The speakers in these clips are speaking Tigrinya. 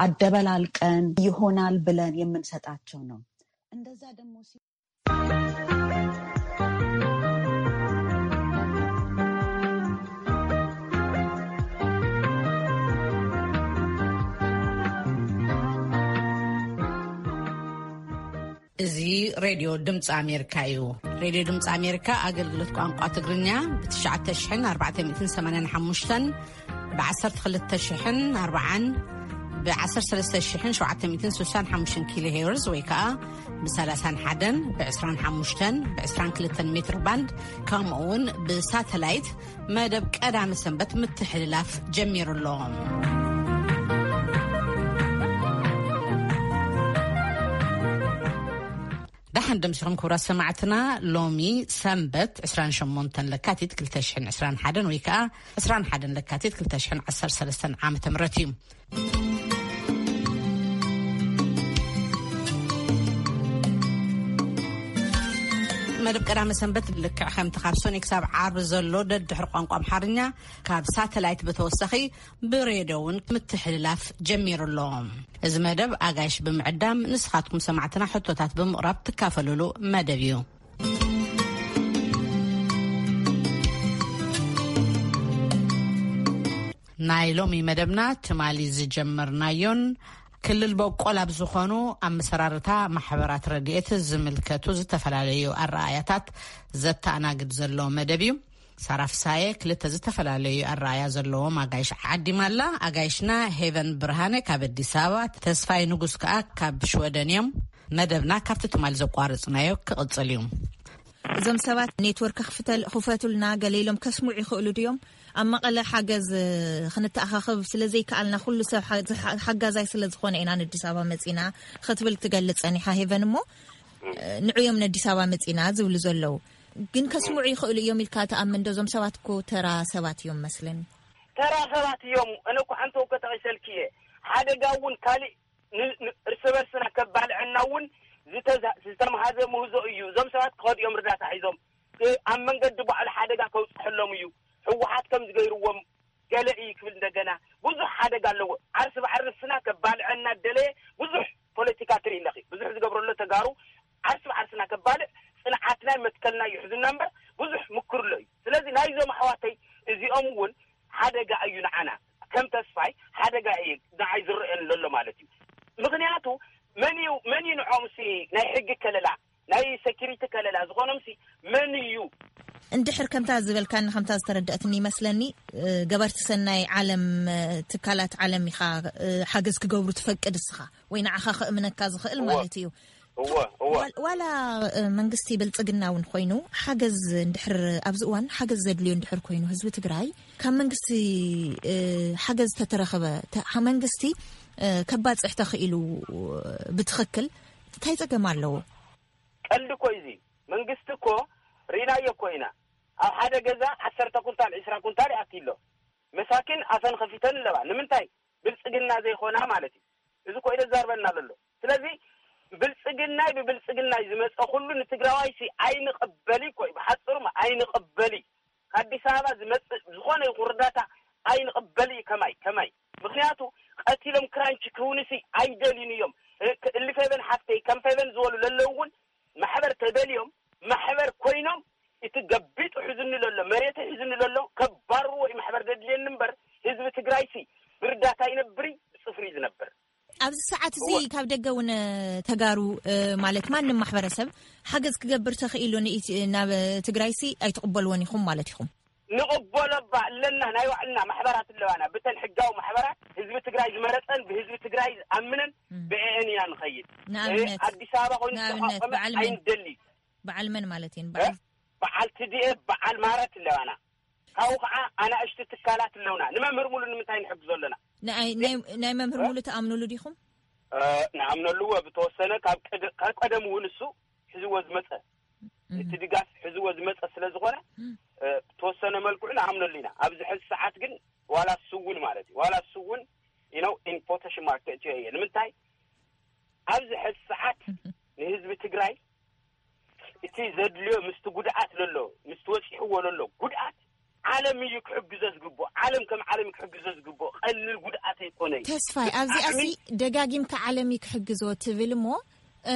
አደበላልቀን ይሆናል ብለን የምንሰጣቸው ነው። እንደዛ ደግሞ ሲ- እዚ ሬድዮ ድምፂ ኣሜሪካ እዩ። ሬድዮ ድምፂ ኣሜሪካ ኣገልግሎት ቋንቋ ትግርኛ ብ ትሽዓተ ሽሕን ኣርባዕተ ሚእትን ሰማንያን ሓሙሽተን፣ ብ ዓሰርተ ክልተ ሽሕን ኣርባዓን፣ ብ ዓሰርተ ሰለስተ ሽሕን ሸውዓተ ሚእትን ስሳን ሓሙሽተን ኪሎ ሄርዝ ወይ ከዓ ብ ሰላሳን ሓደን፣ ብ ዕስራን ሓሙሽተን፣ ብ ዕስራን ክልተን ሜትር ባንድ፣ ከምኡ እውን ብሳተላይት መደብ ቀዳመ ሰንበት ምትሕልላፍ ጀሚሩ ኣሎ። ደሓን ደምሲኹም ክቡራት ሰማዕትና። ሎሚ ሰንበት ዕስራን ሸሞንተን ለካቲት ክልተ ሽሕን ዕስራን ሓደን ወይ ከዓ ዕስራን ሓደን ለካቲት ክልተ ሽሕን ዓሰርተ ሰለስተን ዓመተ ምህረት እዩ። መደብ ቀዳመ ሰንበት ልክዕ ከምቲ ካብ ሶኒ ክሳብ ዓርቢ ዘሎ ደድሕሪ ቋንቋ ኣምሓርኛ ካብ ሳተላይት ብተወሳኺ ብሬድዮ እውን ምትሕልላፍ ጀሚሩ ኣሎ። እዚ መደብ ኣጋይሽ ብምዕዳም ንስኻትኩም ሰማዕትና ሕቶታት ብምቕራብ ትካፈሉሉ መደብ እዩ። ናይ ሎሚ መደብና ትማሊ ዝጀመርናዮን ክልል በቆል ኣብ ዝኾኑ ኣመሰራርታ ማሕበራት ረድኤት ዝምልከቱ ዝተፈላለዩ ኣረኣያታት ዘተኣናግድ ዘሎ መደብ እዩ። ሳራ ፍሳየ ክልተ ዝተፈላለዩ ኣረኣያ ዘለዎም ኣጋይሽ ዓዲማ ኣላ። ኣጋይሽና ሄቨን ብርሃነ ካብ ኣዲስ ኣበባ፣ ተስፋይ ንጉስ ከኣ ካብ ሽወደን እዮም። መደብና ካብቲ ትማሊ ዘቋረጽናዮ ክቕጽል እዩ። እዞም ሰባት ኔትወርክ ክፍተል-፣ ክፈቱልና ገለ ኢሎም ከስምዑ ይኽእሉ ድዮም? ኣብ መቐለ ሓገዝ፣ እ፣ ክንተኣኻኸብ ስለ ዘይከኣልና ኩሉ ሰብ ሓ-፣ ሓ-፣ ሓጋዛይ ስለ ዝኾነ ኢና ንኣዲስ ኣበባ መጺና ክትብል ትገልጽ ጸኒሓ ሄቨን። እሞ፣ እ፣ ንዑ እዮም ንኣዲስ ኣበባ መጺና ዝብሉ ዘለዉ። ግን ከስምዑ ይኽእሉ እዮም ኢልካ ትኣምን ዶ? እዞም ሰባት እኮ ተራ ሰባት እዮም መስለኒ። ተራ ሰባት እዮም። እነ እኮ ሓንቲ እኮ ጠቒሰልኪ እየ። ሓደጋ እውን ካሊእ ን-፣ ን-፣ እርስ በርስና ከባልዐና እውን ዝተዛ-፣ ዝተምሃዘ ምህዞ እዩ። እዞም ሰባት ክኸዱ እዮም እርዳታ ሒዞም። እ-፣ ኣብ መንገዲ ባዕሉ ሓደጋ ከውፅሐሎም እዩ። ህወሓት ከም ዝገይርዎም ገለ እዩ ክብል እንደገና ብዙሕ ሓደጋ ኣለዎ። ዓርሲ ባዕሪ ንስና ከባልዐና ደለየ ብዙሕ ፖለቲካ ትርኢ ኣለኺ። ብዙሕ ዝገብረሎ ተጋሩ ዓርሲ ባዕርስና ከባልዕ ጽንዓትና መትከልና እዩ ሕዝና እምበር ብዙሕ ምክርሎ እዩ። ስለዚ ናይዞም ኣሕዋተይ እዚኦም እውን ሓደጋ እዩ ንዓና። ከም ተስፋይ ሓደጋ እዩ ንዓይ ዝረአን ዘሎ ማለት እዩ። ምኽንያቱ መን እዩ፣ መን እዩ ንዖም ሲ ናይ ሕጊ ከለላ፣ ናይ ሴኪሪቲ ከለላ ዝኾኖም ሲ መን እዩ? እንድሕር ከምታ ዝበልካኒ፣ ከምታ ዝተረድአትኒ ይመስለኒ፣ እ፣ ገበርቲ ሰናይ ዓለም፣ እ፣ ትካላት ዓለም ኢኻ፣ እ፣ ሓገዝ ክገብሩ ትፈቅድ እስኻ፣ ወይ ንዓኻ ከእምነካ ዝኽእል እወ። ማለት እዩ። እወ፣ እወ። ዋል-፣ ዋላ፣ እ፣ መንግስቲ ብልጽግና እውን ኮይኑ ሓገዝ እንድሕር፣ ኣብዚ እዋን ሓገዝ ዘድልዮ እንድሕር ኮይኑ ህዝቢ ትግራይ ካብ መንግስቲ፣ እ፣ ሓገዝ ተተረኸበ፣ ተ-፣ ሓ-፣ መንግስቲ፣ እ፣ ከባጽሕ ተኽኢሉ ብትኽክል እንታይ ጸገም ኣለዎ? ቀልዲ እኮ እዩ እዚ። መንግስቲ እኮ ርኢናዮ እኮ ኢና። ኣብ ሓደ ገዛ ዓሰርተ ኩንታል፣ ዒስራ ኩንታል ይኣቲ ኣሎ። መሳኪን ኣፈን ከፊተን ኣለዋ። ንምንታይ? ብልጽግና ዘይኮና ማለት እዩ። እዚ እኮ እዩ ዘዛርበና ዘሎ። ስለዚ ብልጽግናይ ብብልጽግናይ ዝመጸ ኩሉ ንትግራዋይሲ ኣይንቕበል እኮ እዩ። ብሓጽሩ ኣይንቕበል እዩ። ከኣዲስ ኣበባ ዝመጽእ ዝኾነ ይኹን ርዳታ ኣይንቕበል እዩ። ከማይ፣ ከማይ። ምኽንያቱ ቀቲሎም ክራንች ክህውንሲ ኣይደልዩን እዮም። እ፣ ክ-፣ እሊ ፌቨን ሓፍተይ፣ ከም ፌቨን ዝበሉ ለለዉ እውን ማሕበር ተደልዮም፣ ማሕበር ኮይኖም እቲ ገቢጡ ሒዙኒ ለሎ፣ መሬት ሒዙኒ ለሎ፣ ከባርዎ እዩ ማሕበር ደድልየኒ እምበር፣ ህዝቢ ትግራይሲ ብርዳታ ይነብር እዩ፣ ብጽፍሪ እዩ ዝነብር። ኣብዚ ሰዓት እዚ እወ። ካብ ደገ እውን ተጋሩ፣ እ፣ ማለት ማንም ማሕበረሰብ ሓገዝ ክገብር ተኽኢሉ ንኢት-፣ ናብ ትግራይሲ ኣይትቕበልዎን ኢኹም ማለት ኢኹም? ንቕበሎ እባ ኣለና፣ ናይ ባዕልና ማሕበራት ኣለዋና። ብተን ሕጋዊ ማሕበራት ህዝቢ ትግራይ ዝመረፀን ብህዝቢ ትግራይ ዝኣምነን እም። ብኤን ኢና ንኸይድ። ንኣብነት፣ እ፣ ኣዲስ ኣበባ ኮይኑ ንኣብነት ዝተቋቋመ በዓል መን? ኣይንደሊ። በዓል መን ማለት እየን? እ? በዓል በዓል ቲ ዲ ኤፍ፣ በዓል ማረት ኣለዋና። ካብኡ ከዓ ኣናእሽቲ ትካላት ኣለውና። ንመምህር ሙሉ ንምንታይ ንሕግዞ ኣለና? ንኣይ-፣ ናይ፣ ናይ መምህር እ? ሙሉ ትኣምኑሉ ዲኹም? እ፣ ንኣምነሉ እወ፣ ብተወሰነ ካብ ቀደ-፣ ካብ ቀደም እውን እሱ ሒዝዎ ዝመፀ፣ እም። እቲ ድጋፍ ሒዝዎ ዝመፀ ስለ ዝኾነ፣ እም። እ፣ ብተወሰነ መልክዑ ንኣምነሉ ኢና። ኣብዚ ሕዚ ሰዓት ግን ዋላ እሱ እውን ማለት እዩ፣ ዋላ እሱ እውን፣ you know፣ ኢን ኮቴሽን ማርክ ከእትዮ እየ። ንምንታይ? ኣብዚ ሕዚ ሰዓት ንህዝቢ ትግራይ እቲ ዘድልዮ ምስቲ ጉድኣት ለሎ፣ ምስቲ ወፂሕዎ ለሎ ጉድኣት ዓለም እዩ ክሕግዞ ዝግብኦ። ዓለም ከም ዓለም እዩ ክሕግዞ ዝግብኦ። ቀሊል ጉድኣት ኣይኮነይ። ተስፋይ፣ ኣብዚኣ ዓቕሚ ሲ ደጋጊምካ ዓለም እዩ ክሕግዞ ትብል እሞ፣ እ፣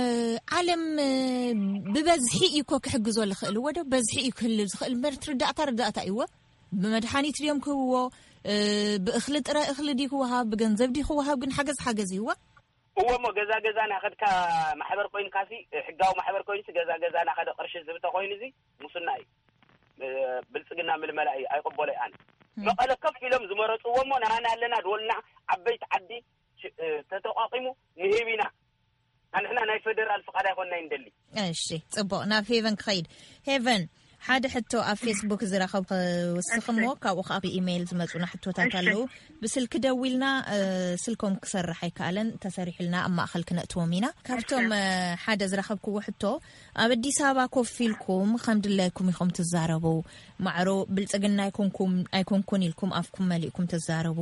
ዓለም፣ እ፣ ብበዝሒ እዩ እኮ ክሕግዞ ዝኽእል። ወደ በዝሒ እዩ ክህልል ዝኽእል እምበር፣ ትርዳእታ ርዳእታ እዩ። እዎ፣ ብመድሓኒት ድዮም ክህብዎ? እ፣ ብእኽሊ ጥረ እኽሊ ድዩ ክወሃብ? ብገንዘብ ድዩ ክወሃብ? ግን ሓገዝ ሓገዝ እዩ። እዎ፣ እሞ ገዛ ገዛ ናኸድካ ማሕበር ኮይንካሲ፣ ሕጋዊ ማሕበር ኮይኑሲ፣ ገዛ ገዛ ናኸደ ቅርሺ ዝብተ ኮይኑዚ፣ ሙስና እዩ። እ፣ ብልጽግና ምልመላ እዩ። ኣይቕበሎይ ኣነ። ም። መቐለ ከፍ ኢሎም ዝመረጽዎ እሞ፣ ንኣና ኣለና ድወልና ዓበይቲ ዓዲ ሽ-፣ እ፣ ተተቋቂሙ ንህብ ኢና። ኣንሕና ናይ ፌደራል ፍቓድ ኣይኮንና እንደሊ። እሺ፣ ጽቡቕ። ናብ ሄቨን ክኸይድ። ሄቨን፣ ሓደ ሕቶ ኣብ ፌስቡክ ዝረኸብ፣ እ፣ ወስኽ እሺ። እሞ ካብኡ ከኣ ብኢሜይል ዝመጹና ሕቶታት እሺ። ኣለዉ። ብስልኪ ደዊልና፣ እ፣ ስልኮም ክሰርሕ ኣይከኣለን። ተሰሪሑልና ኣብ ማእኸል ክነእትዎም ኢና። ካብቶም፣ እሺ። እ፣ ሓደ ዝረኸብክዎ ሕቶ፣ ኣብ ኣዲስ ኣበባ ኮፍ ኢልኩም ከም ድላይኩም ኢኹም ትዛረቡ። ማዕሮ ብልጽግና ኣይኮንኩም፣ ኣይኮንኩን ኢልኩም ኣፍኩም መሊእኩም ትዛረቡ።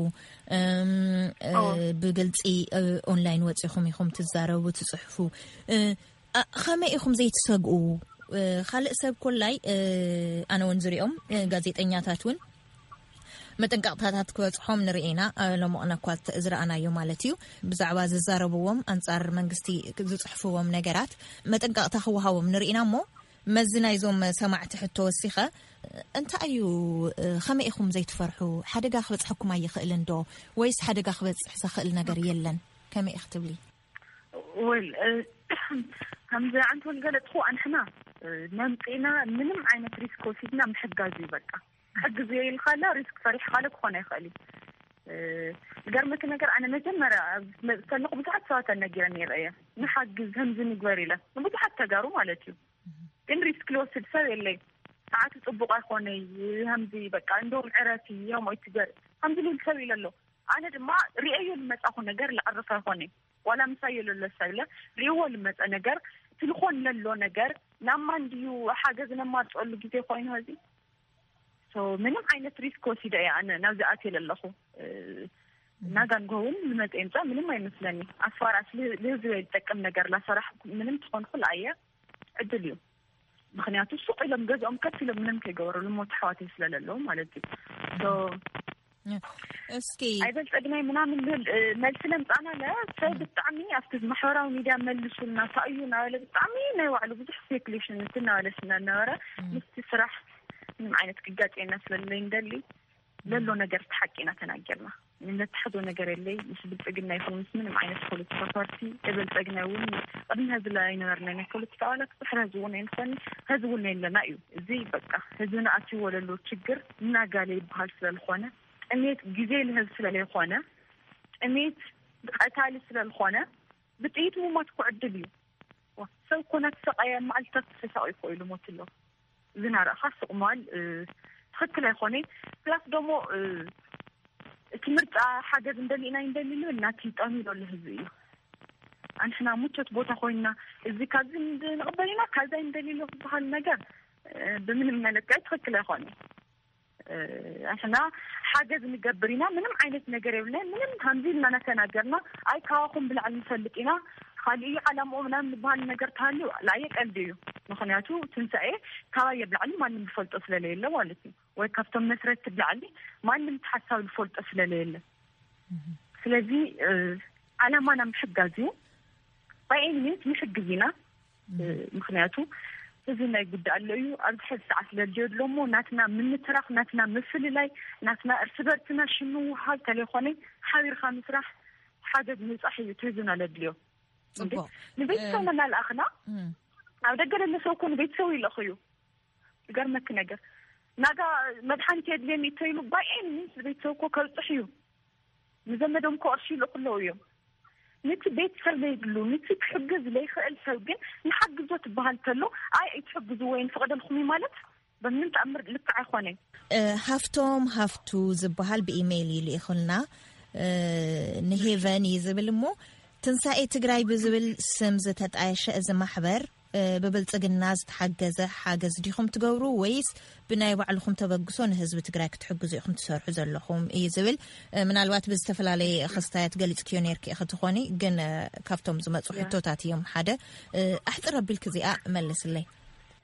እም፣ እ፣ ኦ። ብግልጺ፣ እ፣ ኦንላይን ወጺኹም ኢኹም ትዛረቡ፣ ትጽሕፉ። እ፣ እ፣ ከመይ ኢኹም ዘይትሰግኡ? እ፣ ካልእ ሰብ ኮላይ፣ እ፣ ኣነ እውን ዝሪኦም፣ እ፣ ጋዜጠኛታት እውን መጠንቀቕታታት ክበጽሖም ንርኢ ኢና። እ፣ ሎሞቕነ እኳ ተ-፣ ዝረኣናዮ ማለት እዩ። ብዛዕባ ዝዛረብዎም፣ ኣንጻር መንግስቲ ዝጽሕፍዎም ነገራት መጠንቀቕታ ክወሃቦም ንርኢ ኢና እሞ፣ መዚ ናይዞም ሰማዕቲ ሕቶ ወሲኸ፣ እንታይ እዩ፣ እ፣ ከመይ ኢኹም ዘይትፈርሑ? ሓደጋ ክበጽሐኩም ኣይኽእልን ዶ? ወይስ ሓደጋ ክበጽሕ ዘኽእል ነገር የለን? ከመይ ኢኺ ትብሊ? ወል፣ እ፣ ከምዚ ኣንቲ ወል ገለጽኹ፣ ኣንሕና፣ እ፣ መምጺእና ምንም ዓይነት ሪስክ ወሲድና ምሕጋዝ እዩ በቃ። ክሕግዝ እየ ኢልካ ኣላ፣ ሪስክ ፈሪሕካ ኣለ ክኾን ኣይኽእል እዩ። እ፣ ዝገርመኪ ነገር፣ ኣነ መጀመርያ ኣብ መጽእ ከለኹ ብዙሓት ሰባት ኣነጊረን ነይረ እየ። ንሓግዝ፣ ከምዚ ንግበር ኢለ። ንብዙሓት ተጋሩ ማለት እዩ። ግን ሪስክ ልወስድ ሰብ የለይ። ሰዓቱ ጽቡቕ ኣይኮነይ፣ ከምዚ በቃ፣ እንደውም ዕረፊ፣ ዮም ኣይትገር፣ ከምዚ ልብል ሰብ ኢለ ኣሎ። ኣነ ድማ ርእየዮ ልመጻኹ ነገር ልዕርፍ ኣይኮነይ። ዋላ ምሳዮ ለሎ ሰብ ኢለ ርእይዎ ልመጸ ነገር፣ እቲ ልኾን ለሎ ነገር፣ ናብ ማን ድዩ ሓገዝ ነማርጸሉ ግዜ ኮይኑ ሀዚ? ሶ፣ ምንም ዓይነት ሪስክ ወሲደ እየ ኣነ ናብዚ ኣትየ ለለኹ። እ፣ ናጋንጎ እውን ልመጸ የምጻእ ምንም ኣይመስለኒ። ኣስፋራስ ል-፣ ልህዝበይ ልጠቅም ነገር ላሰራሕ ምንም ትኾንኩ ለኣየ ዕድል እዩ። ምኽንያቱ ሱቕ ኢሎም ገዝኦም ከፍ ኢሎም ምንም ከይገበሩ ልሞት ኣሕዋተይ ስለ ለለዉ ማለት እዩ። ሶ፣ እስኪ ኣይበልጸግናይ ምናምን ልብል፣ እ፣ መልሲ ለምጻና ለ ሰብ ብጣዕሚ ኣብቲ ማሕበራዊ ሚድያ መልሱልና፣ እንታይ እዩ እናበለ ብጣዕሚ ናይ ባዕሉ ብዙሕ ስፔኩሌሽን እንትን እናበለ ስለ ነበረ፣ ም። ምስቲ ስራሕ ምንም ዓይነት ክጋጨና ስለ ለይንደሊ፣ ለሎ ነገር እቲ ሓቂ ኢና ተናገርና። ነትሓዞ ነገር የለይ። ምስ ብልጽግና ይኹን ምስ ምንም ዓይነት ፖለቲካ ፓርቲ፣ ብልጽግና እውን ቅድሚ ህዝቢ ኣይነበርና። ናይ ፖለቲካ ኣባላት ድሕሪ ህዝቢ እውን ኣይንኾን፣ ህዝቢ እውን የለና እዩ። እዚ በቃ ህዝብና ኣትይዎ ለሎ ችግር እናጋለ ይበሃል ስለ ዝኾነ፣ ጥሜት ግዜ ልህብ ስለ ለይኾነ፣ ጥሜት ቀታሊ ስለ ዝኾነ፣ ብጥይት ምሞት እኮ ዕድል እዩ። ዋ፣ ሰብ እኮ እናተሰቃየ መዓልትታት ተሳቂዩ እኮ እዩ ልሞት ኣሎ። እዚ ናረእኻ ስቕ ምባል፣ እ፣ ትኽክል ኣይኮነይ። ፕላስ ደሞ፣ እ፣ እቲ ምርጫ ሓገዝ እንደሊእና እንደሊሉ እናቲ ጠሚሩ ኣሎ ህዝቢ እዩ። ኣንሕና ምቾት ቦታ ኮይንና፣ እዚ ካብዚ ንድ-፣ ንቕበል ኢና፣ ካብዛ እንደሊሉ ዝበሃል ነገር፣ እ፣ ብምንም መለክዒ ትኽክል ኣይኮነይ። እ፣ ኣንሕና ሓገዝ ንገብር ኢና፣ ምንም ዓይነት ነገር የብልና፣ ምንም ከምዚ ኢልና እናተናገርና፣ ኣይ፣ ካባኹም ብላዕሊ ንፈልጥ ኢና፣ ካልእ እዩ ዓላምኡ ምናምን ዝበሃል ነገር ተሃልዩ፣ ላየ ቀልዲ እዩ። ምኽንያቱ ትንሳኤ ካባየ ብላዕሊ ማንም ዝፈልጦ ስለለየለ ማለት እዩ። ወይ ካብቶም መስረቲ ብላዕሊ ማንም ተሓሳብ ዝፈልጦ ስለለየለ። ስለዚ፣ እ፣ ዓላማና ምሕጋዝ እዩ። ባይ ኤኒ ሚንስ ንሕግዝ ኢና። እ፣ ምኽንያቱ እዚ ናይ ጉዳይ ኣሎ እዩ። ኣብዚ ሕዚ ሰዓት ለድልዮ ኣሎ እሞ ናትና ምንትራኽ፣ ናትና ምፍልላይ፣ ናትና እርስ በርስና ሽም ምውሃብ፣ ተለይኮነ ሓቢርካ ምስራሕ፣ ሓገዝ ምብጻሕ እዩ እቲ ህዝብና ለድልዮ። እንዴ፣ ጽቡቕ። ንቤተሰብና እ፣ እናልኣኽና እም። ኣብ ደገ ለሎ ሰብ እኮ ንቤተሰቡ ይልእኽ እዩ። ዝገርመኪ ነገር፣ ናጋ መድሓኒት የድልየኒ እተይሉ ባይ ኤኒ ሚንስ ቤተሰብ እኮ ከብጽሕ እዩ። ንዘመዶም እኮ ቅርሺ ይልእኹ ኣለዉ እዮም። ነቲ ቤተሰብ ለይብሉ፣ ነቲ ክሕግዝ ለይኽእል ሰብ ግን ንሓግዞ ትበሃል ተሎ፣ ኣይ ኣይትሕግዝዎ፣ ኣይንፈቕደልኩም እዩ ማለት በምንም ተኣምር ልክዕ ኣይኮነን። እ፣ ሃፍቶም ሃፍቱ ዝበሃል ብኢሜይል እዩ ልኢኹልና። እ፣ ንሄቨን እዩ ዝብል እሞ፣ ትንሳኤ ትግራይ ብዝብል ስም ዝተጣየሸ እዚ ማሕበር፣ እ፣ ብብልጽግና ዝተሓገዘ ሓገዝ ዲኹም ትገብሩ ወይስ ብናይ ባዕልኹም ተበግሶ ንህዝቢ ትግራይ ክትሕግዙ ኢኹም ትሰርሑ ዘለኹም እዩ ዝብል። እ፣ ምናልባት ብዝተፈላለየ ክስታያት ገሊጽክዮ ነይርኪ ኢኺ ትኾኒ፣ ግን፣ እ፣ ካብቶም ዝመጹ ያ። ሕቶታት እዮም ሓደ። እ፣ ኣሕጽር ኣቢልኪ እዚኣ መልስለይ።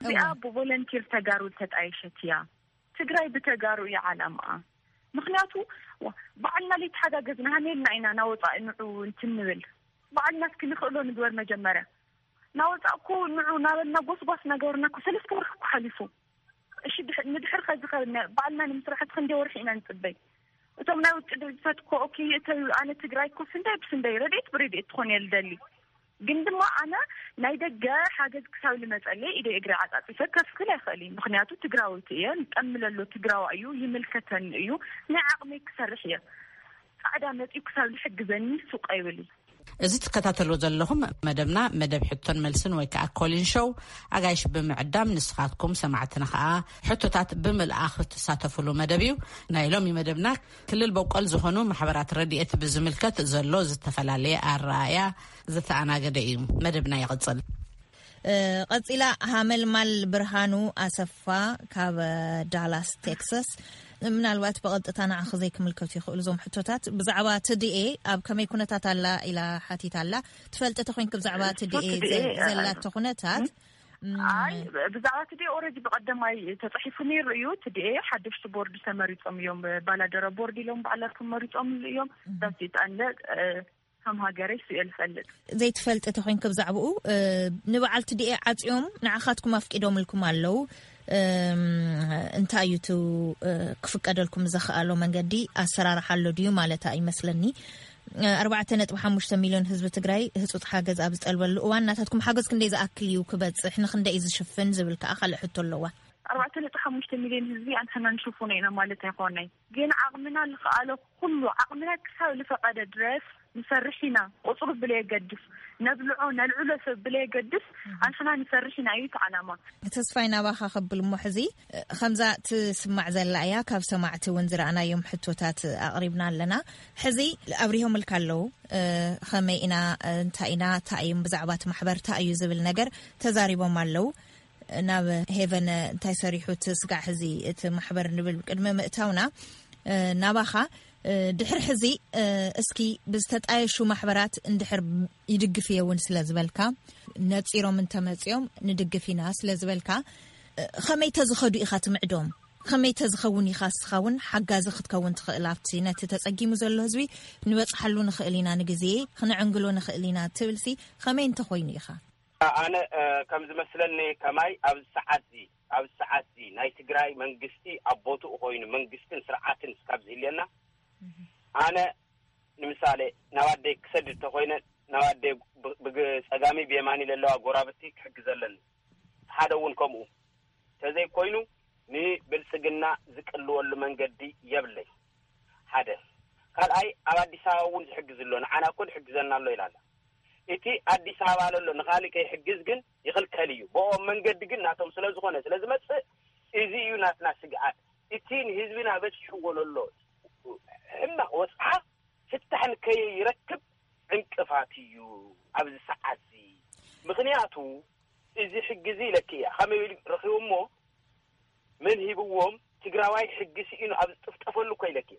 እዚኣ እወ። ብቮለንቲር ተጋሩ ዝተጣየሸት እያ። ትግራይ ብተጋሩ እዩ ዓላማኣ። ምኽንያቱ፣ ዋ፣ ባዕልና ለይተሓጋገዝና ሃሜልና ኢና ናወፃኢ ንዑ እንትን ንብል። ባዕልና እስኪ ንኽእሎ ንግበር መጀመርያ። ናወፃእ እኮ ንዑ ናበልና ጎስጓስ ነገርና እኮ ሰለስተ ወርሒ እኮ ሓሊፉ። እሺ፣ ድሕ-፣ ንድሕር ከዚ ከ-፣ ነ-፣ ባዕልና ንምስራሕ እቲ ክንደይ ወርሒ ኢና ንፅበይ? እቶም ናይ ውጭ ድርጅታት እኮ ኦኬ እተዩ፣ ኣነ ትግራይ እኮ ስንደይ ብስንደይ ረድኤት ብረድኤት ትኾን እየ ልደሊ። ግን ድማ ኣነ ናይ ደገ ሓገዝ ክሳብ ልመፀለይ ኢደ እግሪ ዓፃፂፈ ከፍክል ኣይኽእል እዩ። ምኽንያቱ ትግራወይቲ እየ፣ ጠምለሎ ትግራዋ እዩ፣ ይምልከተኒ እዩ፣ ናይ ዓቕመይ ክሰርሕ እየ። ፃዕዳ መፂኡ ክሳብ ዝሕግዘኒ ሱቕ ኣይብል እዩ። እዚ ትከታተልዎ ዘለኹም መደብና መደብ ሕቶን መልስን ወይ ከዓ ኮሊን ሾው፣ ኣጋይሽ ብምዕዳም ንስኻትኩም ሰማዕትና ከዓ ሕቶታት ብምልኣኽ ትሳተፉሉ መደብ እዩ። ናይ ሎሚ መደብና ክልል በቆል ዝኾኑ ማሕበራት ረድኤት ብዝምልከት ዘሎ ዝተፈላለየ ኣረኣእያ ዝተኣናገደ እዩ። መደብና ይቕጽል። እ፣ ቀጺላ ሃመልማል ብርሃኑ ኣሰፋ ካብ ዳላስ ቴክሳስ፣ ምናልባት ብቐጥታ ንዓኺ ዘይክምልከቱ ይኽእሉ እዞም ሕቶታት። ብዛዕባ ትድኤ ኣብ ከመይ ኩነታት ኣላ ኢላ ሓቲታ ኣላ። ትፈልጢ ተኾይንኪ ብዛዕባ ትድኤ ትድኤ፣ ዘ-፣ እ፣ ዘላቶ ኩነታት? ም? ም። ኣይ፣ ብዛዕባ ትድኤ ኦልሬዲ ብቐደማይ ተጻሒፉ ነይሩ እዩ። ትድኤ ሓደሽቲ ቦርድ ተመሪጾም እዮም። ባላደራ ቦርድ ኢሎም ባዕላቶም መሪጾምሉ እዮም። ም። ዳሴት ኣለ፣ እ፣ ከም ሃገረይ ስእየ ዝፈልጥ። ዘይትፈልጢ ተኾይንኪ ብዛዕባኡ፣ እ፣ ንበዓል ትድኤ ዓጽዮም ንዓኻትኩም ኣፍቂዶምልኩም ኣለዉ። እም፣ እንታይ እዩ እቲ፣ እ፣ ክፍቀደልኩም ዘኽኣሎ መንገዲ ኣሰራርሓ ኣሎ ድዩ ማለታ ይመስለኒ። እ፣ ኣርባዕተ ነጥቢ ሓሙሽተ ሚልዮን ህዝቢ ትግራይ ህጹጽ ሓገዝ ኣብ ዝጠልበሉ እዋን ናታትኩም ሓገዝ ክንደይ ዝኣክል እዩ ክበጽሕ፣ ንክንደይ እዩ ዝሽፍን ዝብል ከኣ ካልእ ሕቶ ኣለዋ። ኣርባዕተ ነጥቢ ሓሙሽተ ሚልዮን ህዝቢ ኣንሕና ንሽፍኖ ኢና ማለት ኣይኮነይ። ግን ዓቕምና ዝኸኣሎ ኩሉ፣ ዓቕምና ክሳብ ዝፈቐደ ድረስ ንሰርሕ ኢና። ቁጽሩ ብለየገድስ፣ ነብልዖ ነልዕሎ ሰብ ብለየገድስ፣ ኣንሕና ንሰርሕ ኢና እዩ እቲ ዓላማ። ተስፋይ ናባኻ ከብል እሞ ሕዚ፣ እ፣ ከምዛ ትስማዕ ዘላ እያ። ካብ ሰማዕቲ እውን ዝረኣናዮም ሕቶታት ኣቕሪብና ኣለና። ሕዚ ኣብሪሆምልካ ኣለዉ። እ፣ ከመይ ኢና፣ እ፣ እንታይ ኢና፣ እንታይ እዮም ብዛዕባ እቲ ማሕበር እንታይ እዩ ዝብል ነገር ተዛሪቦም ኣለዉ። ናብ ሄቨን እንታይ ሰሪሑ እቲ ስጋዕ ሕዚ እቲ ማሕበር ንብል ቅድሚ ምእታውና፣ እ፣ ናባኻ፣ እ፣ ድሕሪ ሕዚ፣ እ፣ እስኪ ብዝተጣየሹ ማሕበራት እንድሕር ይድግፍ እየ እውን ስለ ዝበልካ፣ ነጺሮም እንተመጺኦም ንድግፍ ኢና ስለ ዝበልካ፣ እ፣ ከመይ ተዝኸዱ ኢኻ ትምዕዶም? ከመይ ተዝኸውን ኢኻ እስኻ እውን ሓጋዚ ክትከውን ትኽእል? ኣብቲ ነቲ ተጸጊሙ ዘሎ ህዝቢ ንበጽሓሉ ንኽእል ኢና፣ ንግዜ ክንዕንግሎ ንኽእል ኢና ትብልሲ ከመይ እንተኾይኑ ኢኻ? ኣነ፣ እ፣ ከም ዝመስለኒ ከማይ ኣብዚ ሰዓት እዚ፣ ኣብዚ ሰዓት እዚ ናይ ትግራይ መንግስቲ ኣብ ቦትኡ ኮይኑ መንግስትን ስርዓትን እስካብ ዝህልየና፣ ኣነ ንምሳሌ ናብ ኣደይ ክሰድድ ተኮይነ ናብ ኣደይ ብ-፣ ብግ-፣ ጸጋሚ ብየማኒ ለለዋ ጎራብቲ ክሕግዘለን፣ ሓደ እውን ከምኡ ተዘይኮይኑ ንብልጽግና ዝቅልወሉ መንገዲ የብለይ። ሓደ። ካልኣይ፣ ኣብ ኣዲስ ኣበባ እውን ዝሕግዝ ኣሎ፣ ንዓና እኮ ዝሕግዘና ኣሎ ኢላ ኣላ። እቲ ኣዲስ ኣበባ ለሎ ንኻልእ ከይሕግዝ ግን ይኽልከል እዩ። ብኦም መንገዲ ግን ናቶም ስለ ዝኾነ ስለ ዝመጽእ፣ እዚ እዩ ናትና ስግኣት። እቲ ንህዝብና በጺሕዎ ለሎ ሕማቕ ወጽዓ ፍታሕ ንከይረክብ ዕንቅፋት እዩ ኣብዚ ሰዓት እዚ። ምኽንያቱ እዚ ሕጊ እዚ ኢለኪ እያ። ከመይ ኢሉ ረኺቡ እሞ መን ሂብዎም? ትግራዋይ ሕጊ ስኢኑ ኣብ ዝጥፍጠፈሉ እኮ ኢለኪ።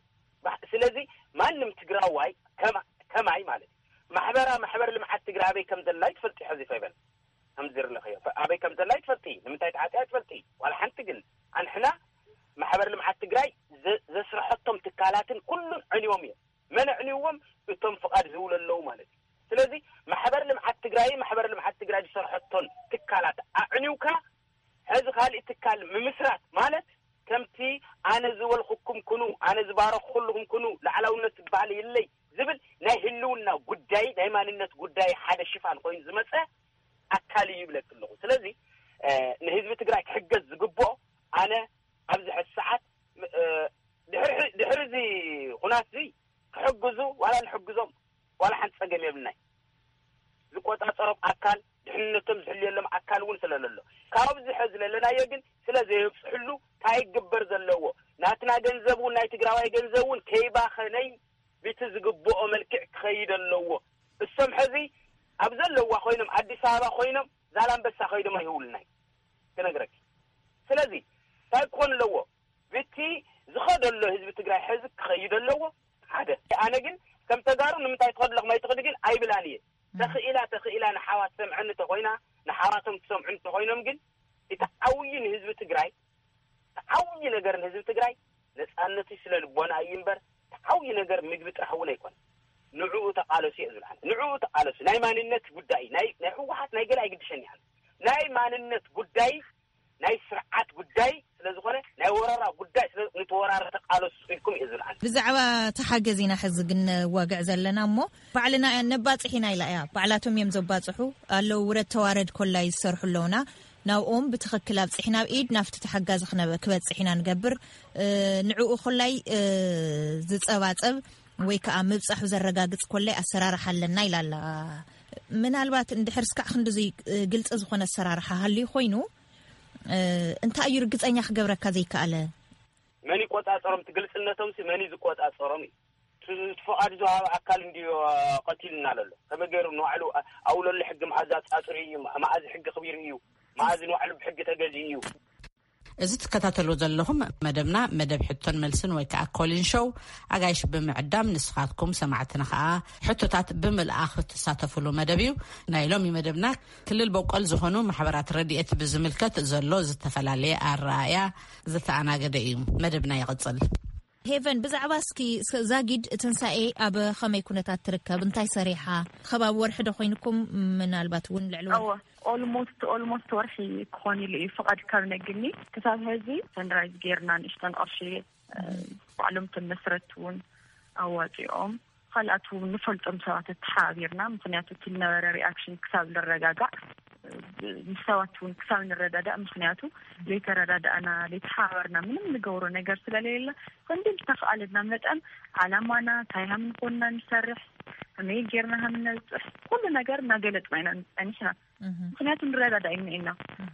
ባህ-፣ ስለዚ ማንም ትግራዋይ ከማ-፣ ከማይ ማለት እዩ። ማሕበራ-፣ ማሕበር ልምዓት ትግራይ ኣበይ ከም ዘላ ይትፈልጢ። ሕዚ ፈይበል ከም ዝርለኽዮ፣ ኣበይ ከም ዘላ ይትፈልጢ። ንምንታይ ተዓፅያ ይትፈልጢ። ዋላ ሓንቲ ግን ኣንሕና ማሕበር ልምዓት ትግራይ ዘ-፣ ዘስረሐቶም ትካላትን ኩሉን ዕንዮም እዮም። መን ኣዕንይዎም? እቶም ፍቓድ ዝህቡ ለለዉ ማለት እዩ። ስለዚ ማሕበር ልምዓት ትግራይ፣ ማሕበር ልምዓት ትግራይ ዝሰርሐቶን ትካላት ኣዕንዩካ፣ ሕዚ ካልእ ትካል ምምስራት ማለት ከምቲ ኣነ ዝበልኩኩም ኩኑ፣ ኣነ ዝባረኽኩልኩም ኩኑ፣ ላዕላውነት ዝበሃል የለይ ዝብል ናይ ህልውና ጉዳይ፣ ናይ ማንነት ጉዳይ ሓደ ሽፋን ኮይኑ ዝመጸ ኣካል እዩ ይብለኪ ኣለኹ። ስለዚ፣ እ፣ ንህዝቢ ትግራይ ክሕገዝ ዝግብኦ ኣነ ኣብዚ ሕዚ ሰዓት፣ እ፣ ድሕሪ፣ ድሕሪ እዚ ኩናት እዚ ክሕግዙ ዋላ ንሕግዞም ዋላ ሓንቲ ጸገም የብልናይ። ዝቆጻጸሮም ኣካል፣ ድሕንነቶም ዝሕልየሎም ኣካል እውን ስለ ዘሎ፣ ካብዚ ሕዚ ዘለናዮ ግን ስለ ዘየብጽሕሉ እንታይ ይግበር ዘለዎ? ናትና ገንዘብ እውን ናይ ትግራዋይ ገንዘብ እውን ከይባኸነይ ብቲ ዝግብኦ መልክዕ ክኸይድ ኣለዎ። እሶም ሕዚ ኣብ ዘለዋ ኮይኖም፣ ኣዲስ ኣበባ ኮይኖም ዛላምበሳ ከይዶም ኣይህውልናይ ክነግረኪ። ስለዚ እንታይ ክኾን ኣለዎ? ብቲ ዝኸደሎ ህዝቢ ትግራይ ሕዚ ክኸይድ ኣለዎ። ሓደ። ኣነ ግን ከም ተጋሩ ንምንታይ ትኸዱ ኣለኹም ኣይትኸዱ ግን ኣይብላን እየ። ተኽኢላ፣ ተኽኢላ ንሓዋት ሰምዐኒ ተኾይና፣ ንሓዋቶም ትሰምዑ እንተኾይኖም ግን እቲ ዓብዪ ንህዝቢ ትግራይ፣ እቲ ዓብዪ ነገር ንህዝቢ ተቃለሱ። ናይ ማንነት ጉዳይ ናይ ናይ ህወሓት ናይ ገለ ኣይግድሸን እያ። ናይ ማንነት ጉዳይ ናይ ስርዓት ጉዳይ ስለዝኾነ ናይ ወረራ ጉዳይ ስለ ንተወራረ ተቃለሱ ኢልኩም እዩ ዝብል። ብዛዕባ ተሓገዝ ኢና ሕዚ ግን ነዋግዕ ዘለና እሞ ባዕልና ነባፅሕ ኢና ኢላ እያ። ባዕላቶም እዮም ዘባፅሑ ኣለዉ። ውረድ ተዋረድ ኮላይ ዝሰርሑ ኣለውና። ናብኦም ብትኽክል ኣብፅሕ ናብ ኢድ ናብቲ ተሓጋዚ ክበፅሕ ኢና ንገብር። ንዕኡ ኮላይ ዝፀባፀብ ወይ ከዓ ምብፃሑ ዘረጋግፅ ኮላይ ኣሰራርሓ ኣለና ኢላ ኣላ። ምናልባት እንድሕር ስካዕ ክንድዙይ ግልፂ ዝኾነ ኣሰራርሓ ሃልዩ ኮይኑ እንታይ እዩ ርግፀኛ ክገብረካ ዘይከኣለ? መን ይቆፃፀሮም? እቲ ግልፅነቶም ሲ መን እዩ ዝቆፃፀሮም እዩ። እቲ ፍቓድ ዝወሃበ ኣካል እንድዩ ቀቲልና ዘሎ። ከመይ ገይሩ ንባዕሉ ኣብለሉ ሕጊ መዓዝ ኣፃፅሩ እዩ? መዓዝ ሕጊ ክቢሩ እዩ? መዓዝ ንባዕሉ ብሕጊ ተገዚኡ እዩ? እዚ ትከታተሉ ዘለኹም መደብና መደብ ሕቶን መልስን ወይ ከዓ ኮሊን ሾው ኣጋይሽ ብምዕዳም ንስኻትኩም ሰማዕትና ከዓ ሕቶታት ብምልኣኽ ትሳተፉሉ መደብ እዩ። ናይ ሎሚ መደብና ክልል በቆል ዝኾኑ ማሕበራት ረድኤት ብዝምልከት ዘሎ ዝተፈላለየ ኣረኣእያ ዝተኣናገደ እዩ። መደብና ይቕጽል። ሄቨን፣ ብዛዕባ እስኪ ዛጊድ ትንሳኤ ኣብ ኸመይ ኩነታት ትርከብ? እንታይ ሰሪሓ? ከባቢ ወርሒ ዶ ኮይንኩም? ምናልባት እውን ልዕሊ ወርሒ? ኦልሞስት ኦልሞስት ወርሒ ክኾን ኢሉ እዩ ፍቓድ ካብ ነግኒ ክሳብ ሕዚ ፈንድራይዝ ጌርና ንእሽተን ቅርሺ ባዕሎም ተመስረት እውን ኣዋፂኦም ካልኣት እውን ንፈልጦም ሰባት ተሓባቢርና ምክንያቱ እቲ ነበረ ሪኣክሽን ክሳብ ንረጋጋዕ ምስ ሰባት እውን ክሳብ ንረዳዳእ ምክንያቱ ዘይተረዳዳእና ዘይተሓባበርና ምንም ንገብሮ ነገር ስለሌለ ክንዲ ዝተኽኣለና መጠን ዓላማና እንታይ ሃም ንኮንና ንሰርሕ ከመይ ጌርና ሃም ነብፅሕ ኩሉ ነገር እናገለፅና ኢና ፀኒሕና ምክንያቱ ንረዳዳእ ኢና ኢና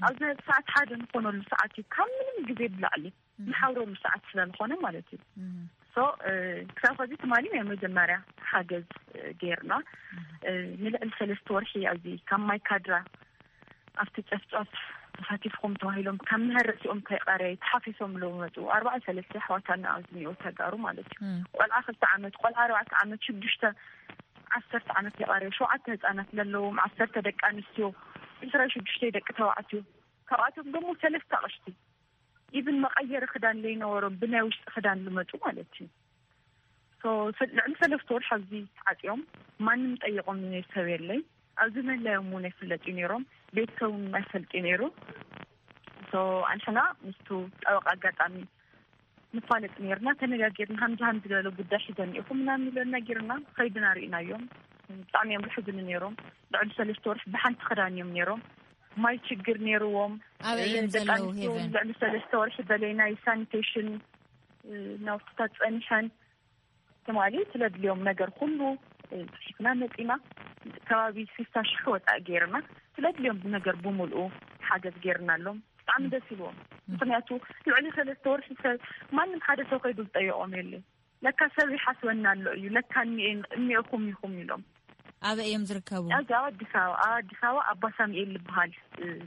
ኣብዚ ሰዓት ሓደ ንኮነሉ ሰዓት እዩ ካብ ምንም ግዜ ብላዕሊ ንሓብረሉ ሰዓት ስለዝኾነ ማለት እዩ ሶ ክሳብ ከዚ ትማሊ ናይ መጀመርያ ሓገዝ ጌርና ንልዕሊ ሰለስተ ወርሒ ኣብዚ ካብ ማይ ካድራ ኣብቲ ጨፍጫፍ ተሳቲፍኩም ተባሂሎም ካብ ምህረሲኦም ከይቀረ ተሓፊሶም ዝመፁ ኣርባዓ ሰለስተ ኣሕዋታና ኣብዚ እኒኦ ተጋሩ ማለት እዩ ቆልዓ ክልተ ዓመት ቆልዓ ኣርባዕተ ዓመት ሽዱሽተ ዓሰርተ ዓመት የቃርዮ ሸውዓተ ህፃናት ለለዎም ዓሰርተ ደቂ ኣንስትዮ ዕስራ ሽዱሽተ ደቂ ተባዕትዮ ካብኣቶም ደግሞ ሰለስተ ኣቅሽቲ ኢቭን መቀየሪ ክዳን ለይነበሮም ብናይ ውሽጢ ክዳን ዝመፁ ማለት እዩ ልዕሊ ሰለስተ ወርሒ ኣብዚ ተዓፅዮም ማንም ጠየቆም ሰብ የለይ ኣብዚ ምህላዮም እውን ኣይፍለጥ እዩ ነይሮም ቤተሰብ እውን ኣይፈልጥ እዩ ነይሩ ኣንሕና ምስቱ ጠበቃ ኣጋጣሚ ንፋለጥ ነርና ተነጋጊርና ሃምዚ ሃምዚ ዝበለ ጉዳይ ሒዘ እኒኢኹም ምናምን ኢለን ነጊርና ከይድና ርኢናዮም ብጣዕሚ እዮም ዝሕዝኑ ነይሮም ልዕሊ ሰለስተ ወርሒ ብሓንቲ ክዳን እዮም ነይሮም ማይ ችግር ነይርዎም ኣበይ እዮም ደቂ ዘለዉ ኣንስትዮ ሄቨን ልዕሊ ሰለስተ ወርሒ በለይ ናይ ሳኒቴሽን ናውትታት ፀኒሐን ትማሊ ስለድልዮም ነገር ኩሉ ፅሒፍና መፂና ከባቢ ስልሳ ሽሕ ወፃኢ ገይርና ስለድልዮም ነገር ብምልኡ ሓገዝ ገይርናሎም ብጣዕሚ ደስ ኢልዎም ምክንያቱ ልዕሊ ሰለስተ ወርሒ ሰብ ማንም ሓደ ሰብ ከይዱ ዝጠየቆም የለ ለካ ሰብ ይሓስበና ኣሎ እዩ ለካ እኒኤን- እኒኤኩም ኢኹም ኢሎም ኣበይ እዮም ዝርከቡ? ኣብዚ ኣብ ኣዲስ ኣበባ ኣብ ኣዲስ ኣበባ ኣባ ሳሙኤል ዝበሃል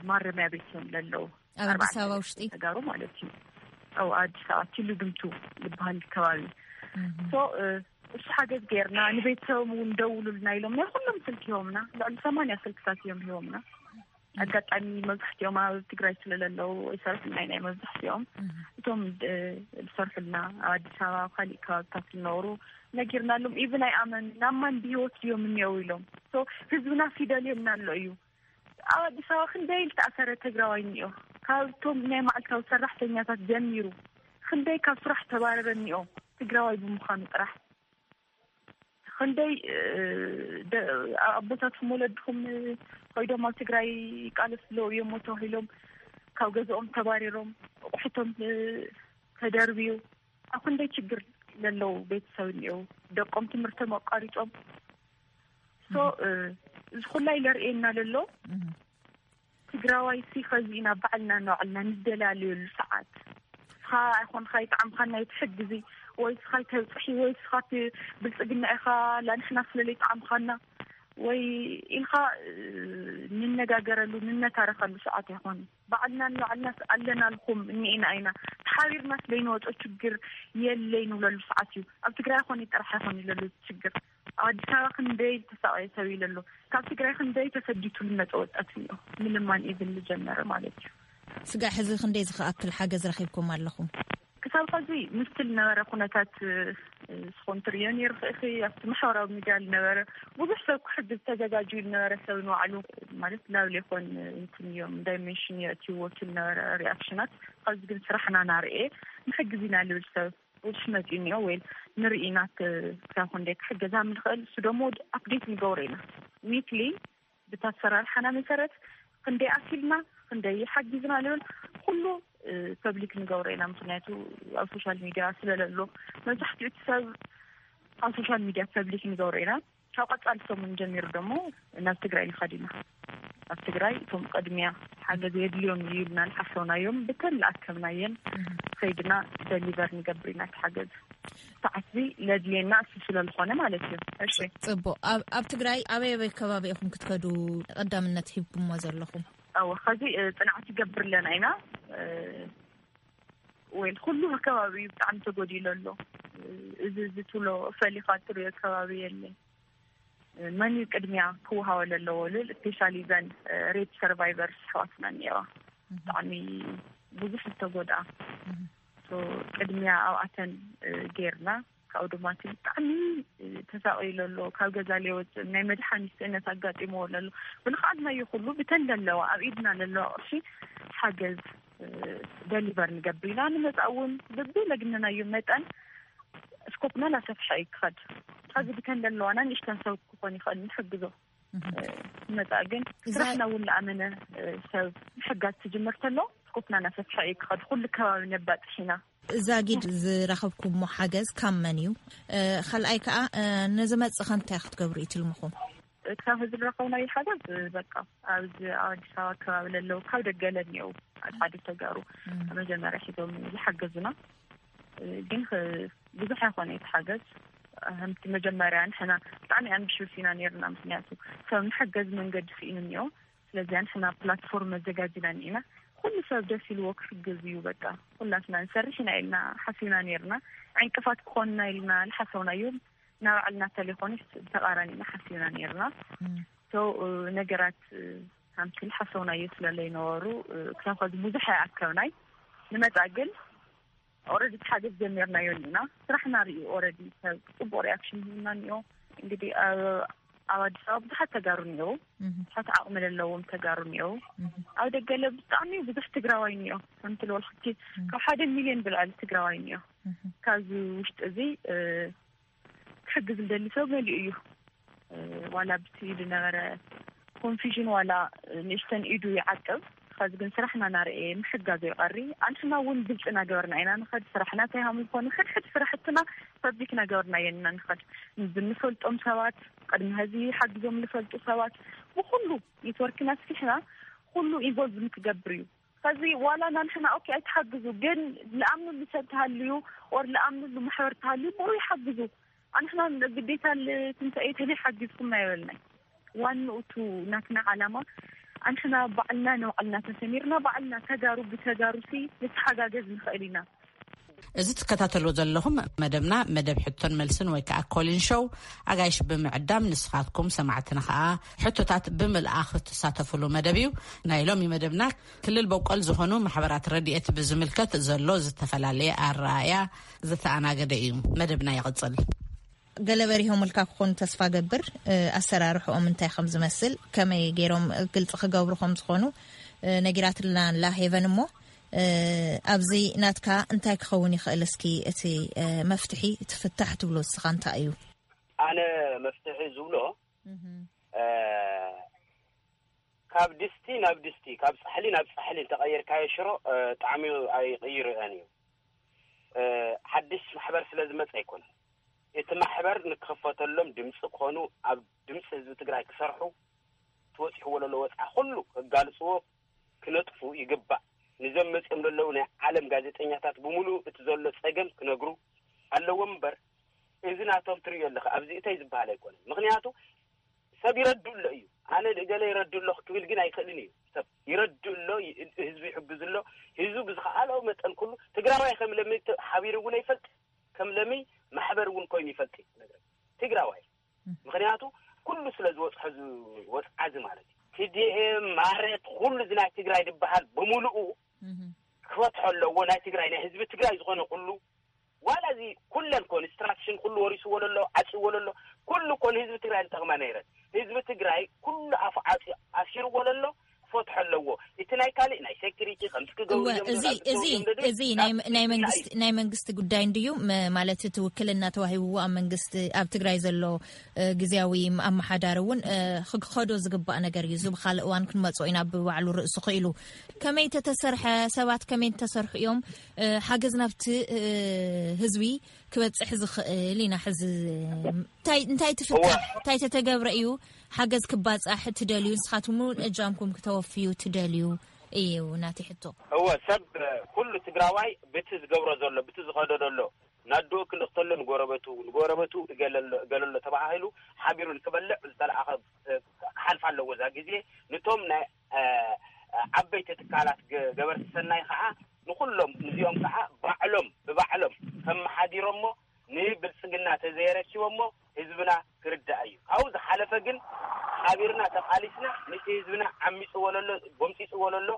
ማረሚያ ቤት እዮም ለለዉ ኣብ ኣዲስ ኣበባ ውሽጢ ተጋሩ ማለት እዩ ኣብ ኣዲስ ኣበባ ቲሉ ድምቱ ዝበሃል ከባቢ እሱ ሓገዝ ገይርና ንቤተሰቦም እውን ደውሉልና ኢሎም ናይ ኩሎም ስልክ ሂቦምና ልዕሊ ሰማንያ ስልክታት እዮም ሂቦምና ኣጋጣሚ መብዛሕትኦም ኣብ ትግራይ ስለለለዉ ይሰርሑልና ናይ መብዛሕትኦም እቶም ዝሰርሑልና ኣብ ኣዲስ ኣበባ ኣብ ካሊእ ከባብታት ዝነበሩ ነጊርናሎም ኢቭን ኣይኣመኑና ማን ብሂወት ድዮም እኒአው ኢሎም ህዝብና ፊደል የምና ኣሎ እዩ ኣብ ኣዲስ ኣበባ ክንደይ ዝተኣሰረ ትግራዋይ እኒኦ ካብቶም ናይ መዓልታዊ ሰራሕተኛታት ጀሚሩ ክንደይ ካብ ስራሕ ተባረረ እኒኦ ትግራዋይ ብምዃኑ ጥራሕ ክንደይ ኣቦታትኩም ወለድኩም ኮይዶም ኣብ ትግራይ ይቃለሱ ኣለዉ እዮም ተባሂሎም ካብ ገዝኦም ተባሪሮም ኣቑሑቶም ተደርብዩ ኣብ ክንደይ ችግር ለለዉ ቤተሰብ እኒኦ ደቆም ትምህርቶም ኣቋሪፆም ሶ እዚ ኩላይ ለርእየና ለሎ ትግራዋይ ሲ ኸዚ ኢና ባዕልና ንባዕልና ንደላለየሉ ሰዓት ስኻ ኣይኮንካ ይጥዓምካና ይትሕግዚ ወይ ስኻ ይተብፅሒ ወይ ስኻ ብልፅግና ኢኻ ላንሕና ስለለይ ጥዓምካና ወይ ኢልካ ንነጋገረሉ ንነታረኸሉ ሰዓት ኣይኮነ ባዕልና ንባዕልና ኣለናልኩም እኒኢና ኢና ተሓቢርና ስለይንወፆ ችግር የለይ ንብለሉ ሰዓት እዩ ኣብ ትግራይ ኮነ ጥራሕ ኣይኮነ ይለሉ ችግር ኣብ ኣዲስ ኣበባ ክንደይ ዝተሳቀየ ሰብ ኢለ ኣሎ ካብ ትግራይ ክንደይ ተሰዲቱ ልመፀ ወጣት እኒኦ ምልማን ኢቭን ልጀመረ ማለት እዩ ስጋዕ ሕዚ ክንደይ ዝክኣክል ሓገዝ ረኺብኩም ኣለኹም ኣብ ኸዚ ምስቲ ዝነበረ ኩነታት ዝኾን ትርእዮ ነይሩ። ክእኺ ኣብቲ ማሕበራዊ ሚድያ ዝነበረ ብዙሕ ሰብ ክሕግዝ ተዘጋጅዩ ዝነበረ ሰብ ንባዕሉ ማለት ላብሌ ኮን እንትን እዮም ዳይሜንሽን የእትይዎ እቲ ዝነበረ ሪኣክሽናት። ኸዚ ግን ስራሕና ናርኤ ንሕግዝ ኢና ልብል ሰብ ብዙሕ መፂኡ እኒኦ ወይ ንርኢ ኢና። ክሳብ ክንደይ ክሕገዛ ምንኽእል እሱ ደሞ ኣፕዴት ንገብሮ ኢና ዊክሊ ብታሰራርሓና መሰረት ክንደይ ኣኪልና ክንደይ ሓጊዝና ንብል ኩሉ ፐብሊክ ንገብሮ ኢና። ምክንያቱ ኣብ ሶሻል ሚድያ ስለለሎ መብዛሕትኡ እቲ ሰብ ኣብ ሶሻል ሚድያ ፐብሊክ ንገብሮ ኢና። ካብ ቀፃሊ ሰሙን ጀሚሩ ደሞ ናብ ትግራይ ንኸድ ኢና። ኣብ ትግራይ እቶም ቅድሚያ ሓገዝ የድልዮም እዩ ኢልና ዝሓሰብናዮም ብተን ዝኣከብናየን ከይድና ደሊቨር ንገብር ኢና። እቲ ሓገዝ ሰዓት እዚ ለድልየና እሱ ስለዝኾነ ማለት እዩ። እሺ። ጽቡቕ። ኣብ ኣብ ትግራይ ኣበይ ኣበይ ከባቢ ኢኹም ክትከዱ ቀዳምነት ሂብኩሞ ዘለኹም? ኣዎ፣ ኸዚ ጽንዓት ይገብር ኣለና ኢና። ወይ ኩሉ ከባቢ እዩ ብጣዕሚ ተጎዲሉ ኣሎ። እዚ እዚ ትብሎ ፈሊኻ ትሪኦ ከባቢ የለን። መን እዩ ቅድሚያ ክወሃቦ ዘለዎ ልብል ስፔሻሊ ዘን ሬፕ ሰርቫይቨርስ ኣሕዋትና እኒአዋ። ብጣዕሚ ብዙሕ ዝተጎድኣ ቅድሚያ ኣብኣተን ጌርና። ካብኡ ድማ እቲ ብጣዕሚ ተሳቂሉ ኣሎ፣ ካብ ገዛ ለይወፅእ ናይ መድሓኒት ስእነት ኣጋጢምዎ ኣሎ። ብልኽኣልናዮ ኩሉ ብተን ለለዋ ኣብ ኢድና ለለዋ ቅርሺ ሓገዝ ደሊቨር ንገብር ኢና። ንመፃእ እውን ብብለግነናዮ መጠን ስኮፕና እናሰፍሐ እዩ ክኸድ። ኸዚ ብተን ለለዋና ንእሽተን ሰብ ክኾን ይኽእል ንሕግዞ። ንመፃእ ግን ስራሕና እውን ለኣመነ ሰብ ምሕጋዝ ትጅምር ተሎ ስኮፕና እናሰፍሐ እዩ ክኸድ። ኩሉ ከባቢ ነባፅሕ ኢና። እዛ ጊድ ዝረኸብኩሞ ሓገዝ ካብ መን እዩ? ካልኣይ ከዓ ንዝመፅእ ከ እንታይ ክትገብሩ እዩ ትልምኹም? ካብ ህዝቢ ዝረኸብናዮ ሓገዝ በቃ ኣብዚ ኣብ ኣዲስ ኣበባ ከባቢ ለለው ካብ ደገ ለኒየው ኣድሓዲ ተጋሩ መጀመርያ ሒዞም ዝሓገዙና። ግን ብዙሕ ኣይኮነ እቲ ሓገዝ። ከምቲ መጀመርያ ንሕና ብጣዕሚ ኣምቢሽስ ኢና ነይርና። ምክንያቱ ሰብ ንሓገዝ መንገዲ ስኢኑ እኒኦ። ስለዚ ንሕና ፕላትፎርም መዘጋጅና እኒና ኩሉ ሰብ ደስ ኢልዎ ክሕግዝ እዩ። በቃ ኩላትና ንሰርሕ ኢና ኢልና ሓሲብና ነይርና። ዕንቅፋት ክኾንና ኢልና ዝሓሰብናዮም ናባዕልና ተሌፎንስ ብተቃራኒና ሓሲብና ነይርና። ሶ ነገራት ከምቲ ዝሓሰብናዮ ስለለይነበሩ ክሳብ ኸዚ ብዙሕ ኣይኣከብናይ። ንመፃ ግን ኦረዲ ሓገዝ ጀሚርናዮ እኒና። ስራሕና ርእዩ ኦረዲ ሰብ ፅቡቅ ሪኣክሽን ሂብና እኒኦ። እንግዲህ ኣብ ኣዲስ ኣበባ ብዙሓት ተጋሩ እኒኦ። ብዙሓት ዓቕሚ ዘለዎም ተጋሩ እኒኦ። ኣብ ደገለ ብጣዕሚ ብዙሕ ትግራዋይ እኒኦ። ከምቲ ልበልኩኪ ካብ ሓደ ሚልዮን ብልዕሊ ትግራዋይ እኒኦ። ካብዚ ውሽጢ እዚ ክሕግዝ ዝደሊ ሰብ መሊኡ እዩ። ዋላ ብቲ ዝነበረ ኮንፊዥን ዋላ ንእሽተን ኢዱ ይዓቅብ። ኸዚ ግን ስራሕና ናርኤ ምሕጋዝ ይቐሪ። ኣንሕና እውን ግልፂ እናገበርና ኢና ንኸድ። ስራሕና እንታይ ሃም ዝኾኑ ሕድሕድ ስራሕትና ፐብሊክ እናገበርና የንና ንኸድ። ብንፈልጦም ሰባት ቅድሚ ሀዚ ሓጊዞም ንፈልጡ ሰባት ብኩሉ ኔትወርክና ስፊሕና ኩሉ ኢንቮልቭ ንክገብር እዩ። ከዚ ዋላ ናንሕና ኦኬ ኣይትሓግዙ ግን ልኣምንሉ ሰብ ተሃልዩ ኦር ልኣምንሉ ማሕበር ተሃልዩ ብኡ ይሓግዙ። ኣንሕና ግዴታ ትንሳኤ ተለይ ሓጊዝኩም ኣይበልናይ። ዋንኡ ቱ ናትና ዓላማ ኣንሕና ባዕልና ንባዕልና ተሰሚርና ባዕልና ተጋሩ ብተጋሩ ሲ ንተሓጋገዝ ንኽእል ኢና። እዚ ትከታተልዎ ዘለኹም መደብና መደብ ሕቶን መልስን ወይ ከዓ ኮሊን ሾው ኣጋይሽ ብምዕዳም ንስኻትኩም ሰማዕትና ከዓ ሕቶታት ብምልኣኽ ትሳተፉሉ መደብ እዩ። ናይ ሎሚ መደብና ክልል በቆል ዝኾኑ ማሕበራት ረድኤት ብዝምልከት ዘሎ ዝተፈላለየ ኣረኣእያ ዝተኣናገደ እዩ። መደብና ይቕፅል። ገለ በሪሆምልካ ክኾኑ ተስፋ ገብር። ኣሰራርሕኦም እንታይ ከም ዝመስል ከመይ ገይሮም ግልፂ ክገብሩ ከም ዝኾኑ ነጊራትልና ኣላ ሄቨን። እሞ ኣብዚ ናትካ እንታይ ክኸውን ይኽእል? እስኪ እቲ መፍትሒ እቲ ፍታሕ ትብሎ እስኻ እንታይ እዩ? ኣነ መፍትሒ ዝብሎ ካብ ድስቲ ናብ ድስቲ ካብ ፃሕሊ ናብ ፃሕሊ እንተቐየርካዮ ሽሮ ጣዕሚ ኣይቕይርአን እዩ። ሓድሽ ማሕበር ስለ ዝመፀ ኣይኮነን። እቲ ማሕበር ንክኽፈተሎም ድምፂ ክኾኑ ኣብ ድምፂ ህዝቢ ትግራይ ክሰርሑ ትወፂሕዎ ለሎ ወፅዓ ኩሉ ክጋልፅዎ ክነጥፉ ይግባእ። ንዘም መፅኦም ዘለዉ ናይ ዓለም ጋዜጠኛታት ብምሉእ እቲ ዘሎ ፀገም ክነግሩ ኣለዎም እምበር እዚ ናቶም ትርእዮ ኣለኻ ኣብዚ እተይ ዝበሃል ኣይኮነን። ምክንያቱ ሰብ ይረዱ ኣሎ እዩ። ኣነ ገለ ይረዱ ኣለኹ ክብል ግን ኣይክእልን እዩ። ሰብ ይረዱ ኣሎ፣ ህዝቢ ይሕግዝ ኣሎ። ህዝቢ ብዝኸኣሎ መጠን ኩሉ ትግራዋይ ከም ለሚ ሓቢሩ እውን ኣይፈልጥ ከም ለሚ ማሕበር እውን ኮይኑ ይፈልጥ እዩ። ትግራዋይ ምክንያቱ ኩሉ ስለ ዝወፅሖ ዝወፅዓዚ ማለት እዩ። ቲዲኤም ማረት ኩሉ እዚ ናይ ትግራይ ዝበሃል ብምሉኡ ክፈትሖ ኣለዎ። ናይ ትግራይ፣ ናይ ህዝቢ ትግራይ ዝኾነ ኩሉ፣ ዋላ እዚ ኩለን ኮንስትራክሽን ኩሉ ወሪስዎ ለሎ፣ ዓጽዎ ለሎ፣ ኩሉ እኮ ንህዝቢ ትግራይ ዝጠቕማ ነይረን። ህዝቢ ትግራይ ኩሉ ኣፉ ዓጽ-፣ ኣሲርዎ ለሎ፣ ክፈትሖ ኣለዎ። እቲ ናይ ካልእ ናይ ሴኩሪቲ ከምዚ ክገብሩ እወ፣ እዮም እዚ፣ ዝብሉ እዚ፣ እዮም ዘድልዩ። እዚ ናይ፣ ናብ ናይ ህዝብና መንግስቲ፣ እዩ። ናይ መንግስቲ ጉዳይ እንድዩ፣ መ-፣ ማለት እቲ ውክልና ተዋሂብዎ ኣብ መንግስቲ፣ ኣብ ትግራይ ዘሎ፣ እ፣ ግዝያዊ ኣመሓዳሪ እውን፣ እ፣ ክኸዶ ዝግባእ ነገር እዩ። እዚ ብኻልእ እዋን ክንመጽኦ ኢና፣ ብባዕሉ ርእሱ ክኢሉ። ከመይ ተተሰርሐ፣ ሰባት ከመይ ተሰርሑ እዮም፣ እ፣ ሓገዝ ናብቲ፣ እ፣ ህዝቢ ክበጽሕ ዝኽእል ኢና። ሕዚ እንታይ፣ እንታይ ትፍትሕ? እወ። እንታይ ተተገብረ እዩ ሓገዝ ክባጻሕ ትደልዩ? ንስኻትኩም እውን እጃምኩም ክተወፍዩ ትደልዩ እዩ ናተይ ሕቶ። እወ፣ ሰብ፣ እ፣ ኩሉ ትግራዋይ ብቲ ዝገብሮ ዘሎ፣ ብቲ ዝኸዶ ዘሎ፣ ናድኡ ክልእኽተሎ ንጎረበቱ፣ ንጎረበቱ እገለሎ፣ እገለሎ ተባሂሉ ሓቢሩ ንክበልዕ ዝተለኣኸ፣ እ፣ ክሓልፍ ኣለዎ እዛ ግዜ። ንቶም ናይ፣ እ፣ ዓበይቲ ትካላት ገ-፣ ገበርቲ ሰናይ ከዓ ንኹሎም፣ ንዚኦም ከዓ ባዕሎም፣ ብባዕሎም ከመሓዲሮሞ ንብልጽግና ተዘየረኪቦሞ ህዝብና ክርዳእ እዩ። ካብኡ ዝሓለፈ ግን ሓቢርና ተቓሊስና፣ ነቲ ህዝብና ዓሚጽዎ ለሎ፣ ጎምጺጽዎ ለሎ፣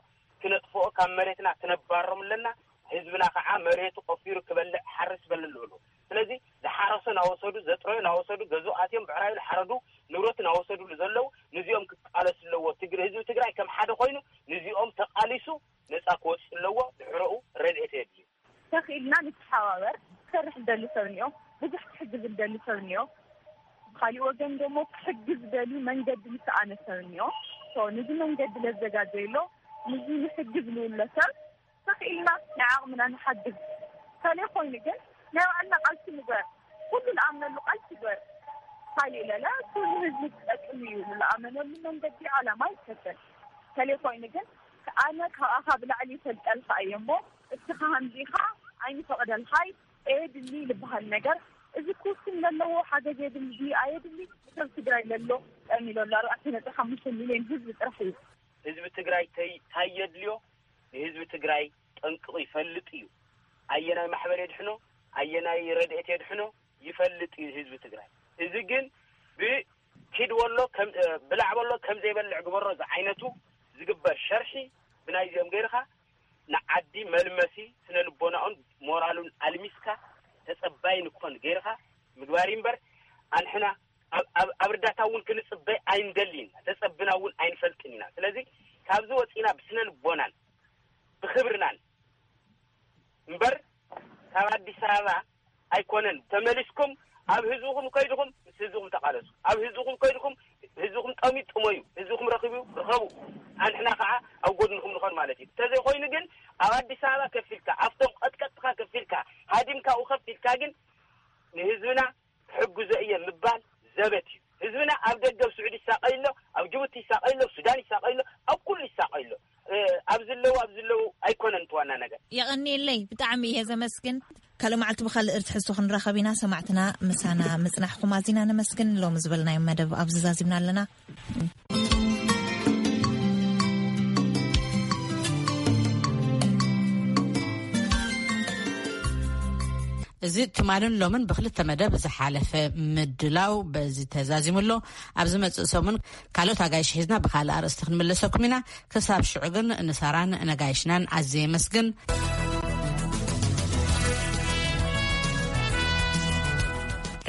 ክነጥፍኦ፣ ካብ መሬትና ክነባሮም ኣለና። ህዝብና ከዓ መሬቱ ቆፊሩ ክበልዕ፣ ሓርስ በልል ብሉ። ስለዚ ዝሓረሶ ናወሰዱ፣ ዘጥረዮ ናወሰዱ፣ ገዝኡ ኣትዮም ብዕራዩ ሓረዱ፣ ንብረቱ ናወሰዱሉ ዘለዉ፣ ንዚኦም ክቃለሱ ኣለዎ። ትግር-፣ ህዝቢ ትግራይ ከም ሓደ ኮይኑ ንዚኦም ተቃሊሱ ነፃ ክወፅእ ኣለዎ። ድሕረኡ ረድኤት የድልዩ። ተኽኢልና ንተሓባበር። ክሰርሕ ዝደሊ ሰብ እኒኦ፣ ብዙሕ ክሕግዝ ዝደሊ ሰብ እኒኦ። ብኻሊእ ወገን ደሞ ክሕግዝ ዝደሊ መንገዲ ዝሰኣነ ሰብ እኒኦ። ሶ፣ ንዚ መንገዲ ለዘጋጀየሎ፣ ንዚ ንሕግዝ ልውሎ ሰብ ተኽኢልና ናይ ዓቕምና ንሓግዝ። ተለይ ኮይኑ ግን ናይ ባዕልና ቃልሲ ንግበር። ኩሉ ንኣምነሉ ቃልሲ ግበር። ካሊእ ለለ ኩሉ ህዝቢ ክጠቅም እዩ። ንኣመነሉ መንገዲ ዓላማ ይከተል። ተለይ ኮይኑ ግን ኣነ ካብኣኻ ብላዕሊ ይፈልጠልካ እየ እሞ እስኻ ከምዚ ኢኻ ኣይንፈቕደልካይ፣ ኣየድሊ ዝበሃል ነገር፣ እዚ ክውስን ዘለዎ ሓገዝ የድሊ ድዩ ኣየድሊ፣ ሰብ ትግራይ ለሎ ጠሚሎ ኣሎ ኣርባዕተ ነጥቢ ሓሙሽተ ሚልዮን ህዝቢ ጥራሕ እዩ። ህዝቢ ትግራይ ተይ-፣ ታይ የድልዮ? ንህዝቢ ትግራይ ጠንቅቑ ይፈልጥ እዩ። ኣየናይ ማሕበር የድሕኖ፣ ኣየናይ ረድኤት የድሕኖ ይፈልጥ እዩ ህዝቢ ትግራይ። እዚ ግን ብኪድ ወሎ ከም፣ እ፣ ብላዕ በሎ ከም ዘይበልዕ ግበሮ ዝዓይነቱ ዝግበር ሸርሒ ብናይዚኦም ገይርኻ ንዓዲ መልመሲ ስነ ልቦናኡን ሞራሉን ኣልሚስካ ተጸባይ ንክኾን ገይርኻ ምግባር እዩ እምበር፣ ኣንሕና ኣብ፣ ኣብ፣ ኣብ እርዳታ እውን ክንጽበይ ኣይንደልን፣ ተጸብና እውን ኣይንፈልጥን ኢና። ስለዚ ካብዚ ወጺና ብስነ ልቦናን ብኽብርናን እምበር ካብ ኣዲስ ኣበባ ኣይኮነን። ተመሊስኩም ኣብ ህዝብኹም ከይድኹም ምስ ህዝብኹም ተቓለሱ። ኣብ ህዝብኹም ከይድኹም ህዝብኹም ጠምዩ ጥመዩ፣ ህዝብኹም ረኺቡ ርኸቡ። ኣንሕና ከዓ ኣብ ጎድንኹም ንኾን ማለት እዩ። እንተዘይኮይኑ ግን ኣብ ኣዲስ ኣበባ ከፊልካ፣ ኣብቶም ቀጥቀጥካ ከፊልካ፣ ሃዲምካኡ ከፊልካ ግን ንህዝብና ክሕግዞ እየ ምባል ዘበት እዩ። ህዝብና ኣብ ደገ ኣብ ስዑዲ ይሳቐይ ኣሎ፣ ኣብ ጅቡቲ ይሳቐይ ኣሎ፣ ኣብ ሱዳን ይሳቐይ ኣሎ፣ ኣብ ኩሉ ይሳቐይ ኣሎ። እ፣ ኣብ ዝለዉ፣ ኣብ ዝለዉ ኣይኮነን እቲ ዋና ነገር። የቐንየለይ፣ ብጣዕሚ እየ ዘመስግን። ካልእ መዓልቲ ብኻልእ ርትሕሶ ክንራኸብ ኢና። ሰማዕትና ምሳና ምጽናሕኩም ኣዚና ነመስግን። ሎሚ ዝበልናዮ መደብ ኣብዚ ዛዚምና ኣለና። እዚ ትማልን ሎምን ብክልተ መደብ ዝሓለፈ ምድላው በዚ ተዛዚሙ ኣሎ። ኣብ ዝመጽእ ሰሙን ካልኦት ኣጋይሽ ሒዝና ብኻልእ ኣርእስቲ ክንምለሰኩም ኢና። ክሳብ ሽዑ ግን ንሳራን ነጋይሽናን ኣዝየ የመስግን።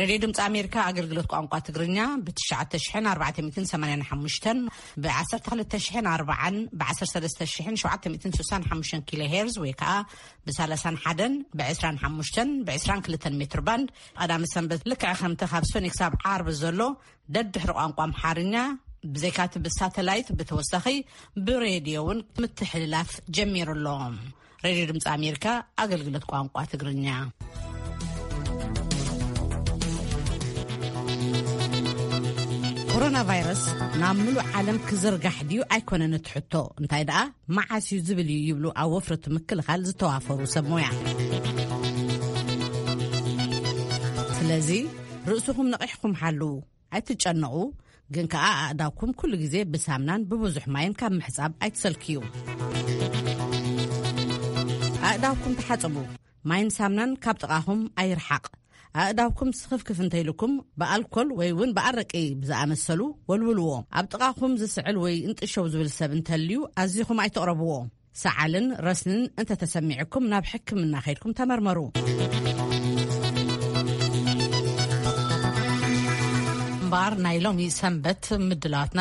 ሬድዮ ድምፂ ኣሜሪካ ኣገልግሎት ቋንቋ ትግርኛ ብ ትሽዓተ ሽሕን ኣርባዕተ ሚእትን ሰማንያን ሓሙሽተን፣ ብ ዓሰርተ ክልተ ሽሕን ኣርባዓን፣ ብ ዓሰርተ ሰለስተ ሽሕን ሸውዓተ ሚእትን ስሳን ሓሙሽተን ኪሎ ሄርዝ ወይ ከዓ ብ ሰላሳን ሓደን፣ ብ ዕስራን ሓሙሽተን፣ ብ ዕስራን ክልተን ሜትር ባንድ፣ ቀዳመ ሰንበት ልክዕ ከምቲ ካብ ሰኑይ ክሳብ ዓርቢ ዘሎ ደድሕሪ ቋንቋ ኣምሓርኛ፣ ብዘይካቲ ብሳተላይት ብተወሳኺ ብሬድዮ እውን ምትሕልላፍ ጀሚሩ ኣሎ። ሬድዮ ድምፂ ኣሜሪካ ኣገልግሎት ቋንቋ ትግርኛ። ኮሮና ቫይረስ ናብ ምሉእ ዓለም ክዝርጋሕ ድዩ ኣይኮነን እቲ ሕቶ፣ እንታይ ደኣ መዓስ እዩ ዝብል እዩ ይብሉ ኣብ ወፍሪ ምክልኻል ዝተዋፈሩ ሰብ ሞያ። ስለዚ ርእስኹም ነቒሕኩም ሓልዉ። ኣይትጨነቑ፣ ግን ከኣ ኣእዳውኩም ኩሉ ግዜ ብሳምናን ብብዙሕ ማይን ካብ ምሕጻብ ኣይትሰልክዩ። ኣእዳውኩም ተሓጸቡ። ማይን ሳምናን ካብ ጥቓኹም ኣይርሓቕ። ኣእዳውኩም ስኽፍክፍ እንተኢሉኩም፣ ብኣልኮል ወይ እውን ብኣረቂ ብዝኣመሰሉ ወልውልዎ። ኣብ ጥቓኹም ዝስዕል ወይ እንጥሸው ዝብል ሰብ እንተልዩ፣ ኣዚኹም ኣይትቕረብዎ። ሰዓልን ረስንን እንተተሰሚዕኩም ናብ ሕክምና ከይድኩም ተመርመሩ። እምበኣር ናይ ሎሚ ሰንበት ምድላዋትና